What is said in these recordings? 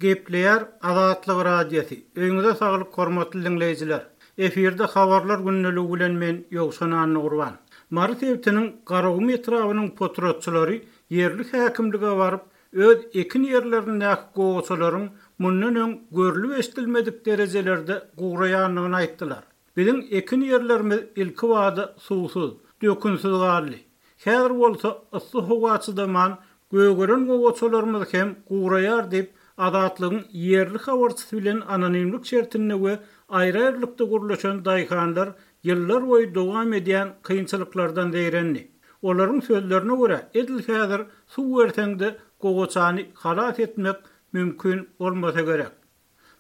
Gepleýär Azatlyk Radiosy, Öýüňize saglyk hormatly diňleýjiler! Efirde Habarlar gündeligi bilen men Ýowşan Annagurban. Mary sebitiniň Garagum etrabynyň potratçylary ýerli häkimlige baryp, öz ekin ýerlerindäki gowaçalaryň mundan öň görlüp-eşidilmedik derejelerde guraýandygyny aýtdylar. Biziň ekin ýerlerimiz ilkibada suwsuz, dökünsiz galdy. Häzir bolsa yssy howa çydaman, gögeren gowaçalarymyz hem guraýar diýip, Azatlygyň ýerli habarçysy bilen anonimlik şertinde we aýry-aýrylykda gürleşen daýhanlar ýyllarboýy dowam edýän kynçylyklardan zeýrendi. Olaryň sözlerine görä, edil häzir suw berseň-de gowaçany halas etmek mümkin bolmasa gerek.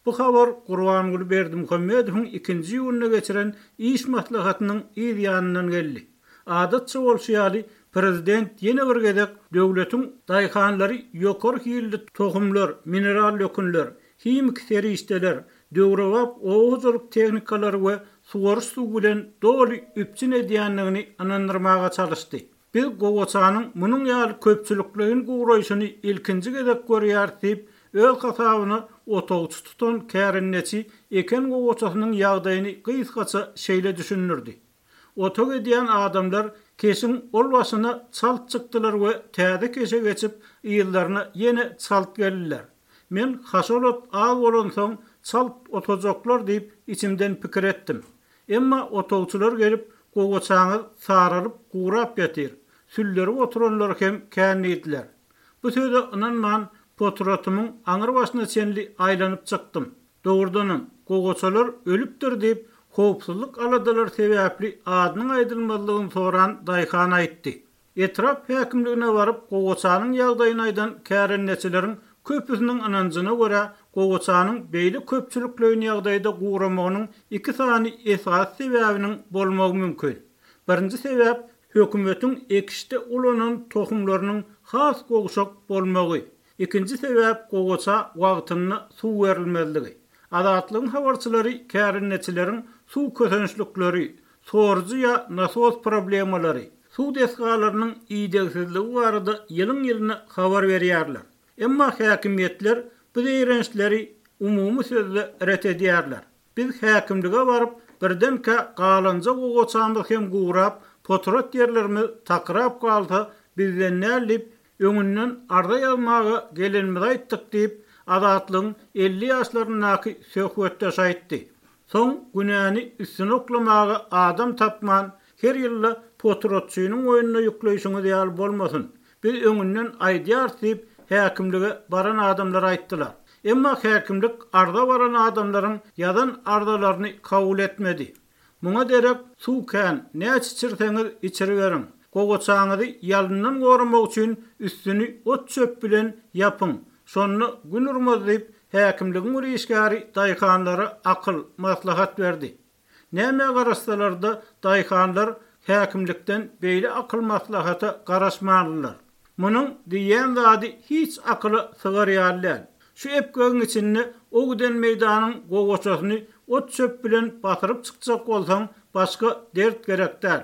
Bu habar Gurbanguly Berdimuhamedowyň ikinji iýunda geçiren iş maslahatynyň yz ýanyndan geldi. Adatça bolşy ýaly, prezident ýene bir gezek döwletiň daýhanlary ýokary hilli tohumlar, mineral dökünler, himiki serişdeler, döwrebap oba hojalyk tehnikalary we suwaryş suwy bilen doly üpjün edýändigini ynandyrmaga çalyşdy. Biz gowaçanyň munuň ýaly köpçülikleýin guraýşyny ilkinji gezek görýäris diýip, öz hasabyna otagçy tutan kärendeçi eken gowaçasynyň ýagdaýyny gysgaça şeýle düşündirdi, Otag edýän adamlar keşiň ol başyna çalt çykdylar we täze keşe geçip, yzlaryna ýene çalt geldiler. Men haşal ot az bolansoň çalt otajaklar diýip içimden pikir etdim. Emma otagçylar gelip, gowaçaňyz saralyp, gurap ýatyr, süllerip oturanlar hem kän diýdiler. Bu söze ynanman, potratymyň aňry başyna çenli aýlanyp çykdym. Dogrudanam, gowaçalar ölüpdir diýip, howpsuzlyk aladalary sebäpli adynyň aýdylmazlygyny soran daýhan aýtdy. Etrap häkimligine baryp, gowaçanyň ýagdaýyny aýdan kärendeçileriň köpüsiniň ynanjyna görä, gowaçanyň beýle köpçülikleýin ýagdaýda guramagynyň iki sany esasy sebäbiniň bolmagy mümkin. Birinji sebäp, hökümetiň ekişde ulanan tohumlarynyň has gowşak bolmagy. Ikinji sebäp, gowaça wagtynda suw berilmezligi. Azatlygyň habarçylary kärendeçileriň suw kösençlikleri, sorujy ýa nasos problemalary, suw desgalarynyň idegsizligi barada ýylyň-ýylyna habar berýärler. Emma häkimiýetler bu zeýrençleri umumy sözde ret edýärler. Biz häkimlige baryp, birdenkä galanja gowaçamyz hem gurap, potrat ýerlerimiz takyrap galsa, bizden däl diýip, öňünden arza ýazmaga gelenimizi aýtdyk diýip, Azatlygyň 50 ýaşlaryndaky söhbetdeşi aýtdy. Soň günäni üstüne oklamaga adam tapman, her ýylda potratçynyň boýnuna ýükleýşiňiz ýaly bolmasyn. Biz öňünden aýdýarys diýip, häkimlige baran adamlar aýtdylar. Emma häkimlik arza baran adamlaryň ýazan arzalaryny kabul etmedi. Muňa derek, suw kän, näçe içirseňiz içiriberiň. Gowaçaňyzy ýalyndan goramak üçin üstüni ot-çöp bilen ýapyň. Şonda gün urmaz diýip, häkimligiň bir işgäri daýhanlara akyl, maslahat berdi. Nämä garaşsalar-da, daýhanlar häkimlikden beýle akyl-maslahata garaşmandylar. Munuň diýýän zady hiç akyla sygar ýaly däl. Şu epgegiň içinde o giden meýdanyň gowaçasyny ot-çöp bilen basyryp çykjak bolsaň, başga dert gerek däl.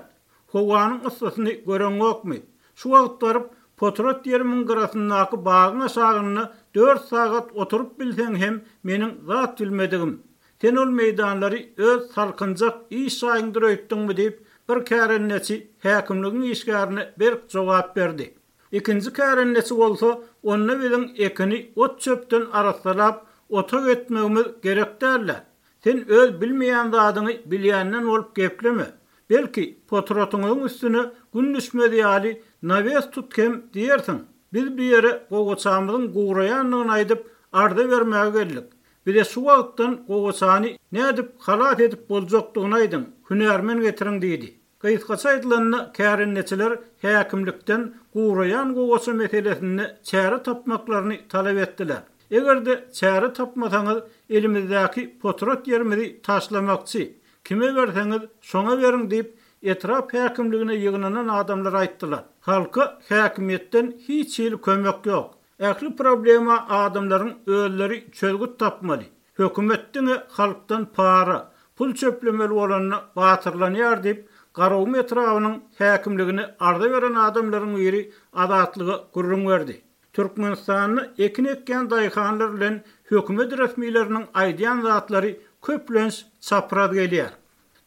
Howanyň yssysyny göreňokmy? Şu wagt baryp, potrat ýerimiň gyrasyndaky bagyň aşagynda dört sagat oturyp bilseň hem meniň zat bilmedigim. Sen ol meýdanlary öz salkynjak iş jaýyňdyr öýtdüňmi diýip, bir kärendeçi häkimligiň işgärine berk jogap berdi. Ikinji kärendeçi bolsa, Onda biziň ekini ot-çöpden arassalap, otag etmegimiz gerek däl-dä. Sen öz bilmeýän zadyňy bilýänden bolup gepleme. Belki, potratyňyzyň üstüne gün düşmez ýaly nawes tut hem diýersiň. Biz bu ýere gowaçamyzyň guraýandygyny aýdyp, arza bermäge geldik. Bize şu wagtdan gowaçany nädip halas edip boljakdygyny aýdyň, hünärmen getiriň diýdi. Gysgaça aýdylanda, kärendeçiler häkimlikden guraýan gowaça meselesinde çäre tapmaklaryny talap etdiler. Eger-de çäre tapmasaňyz, elimizdäki potrat ýerimizi taşlamakçy, kime berseňiz, şoňa beriň diýip, etrap häkimligine ýygnanan adamlar aýtdylar. Halka häkimiýetden hiç hili kömek ýok. Ähli problema adamlaryň özleri çözgüt tapmaly. Hökümet diňe halkdan para, pul çöplemeli bolanda batyrlanýar diýip, Garagum etrabynyň häkimligine arza beren adamlaryň biri Azatlyga gürrüň berdi. Türkmenistanda ekin ekýän daýhanlar bilen. hökümet resmileriniň aýdýan zatlary köplenç çapraz gelýär.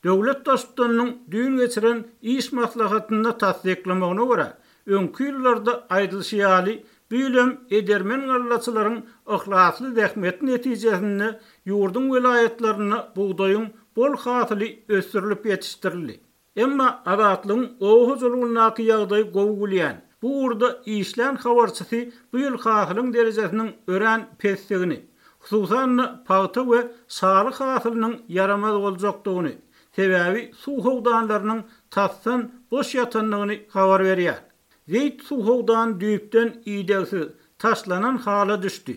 Döwlet Baştutanynyň düýn geçiren iş maslahatynda tassyklamagyna görä, öňki ýyllarda aýdylyşy ýaly, bu ýyl hem edermen gallaçylaryň yhlasly zähmeti netijesinde ýurduň welaýatlarynda bugdaýyň bol hasyly ösdürilip ýetişdirildi. Emma Azatlygyň oba hojalygyndaky ýagdaýy gowy bilýän, bu ugurda işlän habarçysy bu ýyl hasylyň derejesiniň örän pesdigini, hususan-da, pagta we şaly hasylynyň ýaramaz boljakdygyny, sebäbi suw howdanlarynyň tasdan boş ýatandygyny habar berýär. Zeýt suw howdany düýpden idegsiz, taşlanan hala düşdi.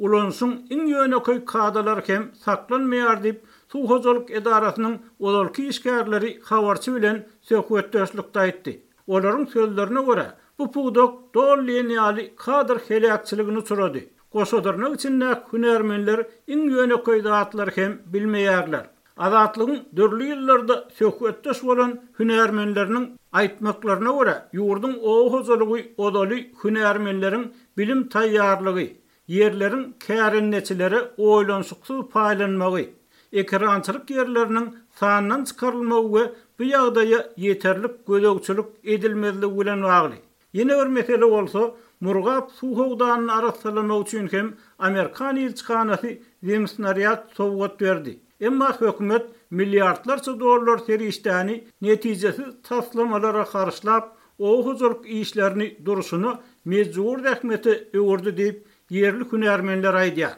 Ulanyşyň iň ýönekeý kadalary hem saklanmaýar diýip, suw hojalyk edarasynyň ozalky işgärleri habarçy bilen söhbetdeşlikde aýtdy. Olaryň sözlerine görä, bu pudak doly diýen ýaly kadr heläkçiligine uçrady. Goşa dyrnak içindäki hünärmenler iň ýönekeý zatlary hem bilmeýärler. Azatlygyň dürli ýyllarda söhbetdeş bolan hünärmenleriniň aýtmaklaryna görä, ýurduň oba hojalygy ozaly hünärmenleriň bilim taýýarlygy, ýerleriň kärendeçilere oýlanyşyksyz paýlanmagy, ekerançylyk ýerleriniň sandan çykarylmagy we bu ýagdaýa ýeterlik gözegçilik edilmezligi bilen bagly. Ýene bir mesele bolsa, Murgap suw howdanyny arassalamak üçin hem amerikan ilçihanasy zemsnarýad sowgat berdi. Emma hökümet milliardlarça dollar serişdäni netijesiz taslamalara harçlap, oba hojalyk işlerini durşuna mejbury zähmete öwürdi diýip, ýerli hünärmenler aýdýar.